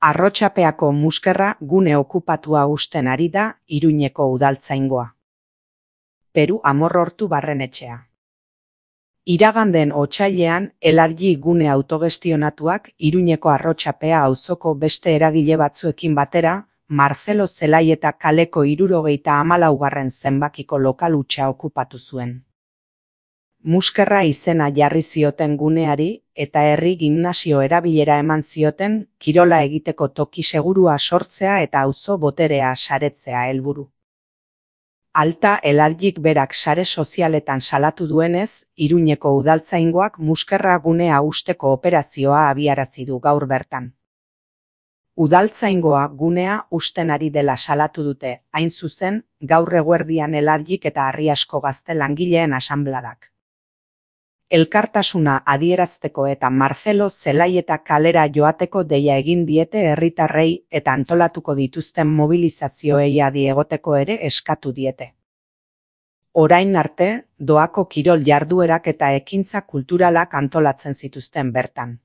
Arrotxapeako muskerra gune okupatua uzten ari da Iruñeko udaltzaingoa. Peru Amorrortu barrenetxea. Iraganden otsailean Eladji gune autogestionatuak Iruñeko Arrotxapea auzoko beste eragile batzuekin batera Marcelo Zelaieta kaleko 74. zenbakiko lokal hutsa okupatu zuen. Muskerra izena jarri zioten guneari eta herri gimnasio erabilera eman zioten kirola egiteko toki segurua sortzea eta auzo boterea saretzea helburu. Alta Eladjik berak sare sozialetan salatu duenez, Iruñeko udaltzaingoak muskerra gunea usteko operazioa abiarazi du gaur bertan. Udaltzaingoa gunea usten ari dela salatu dute, hain zuzen, gaur eguerdian Eladjik eta Arriasko Gazte langileen asanbladak. Elkartasuna adierazteko eta Marcelo Zelaieta kalera joateko deia egin diete herritarrei eta antolatuko dituzten mobilizazioei adi egoteko ere eskatu diete. Orain arte, doako kirol jarduerak eta ekintza kulturalak antolatzen zituzten bertan.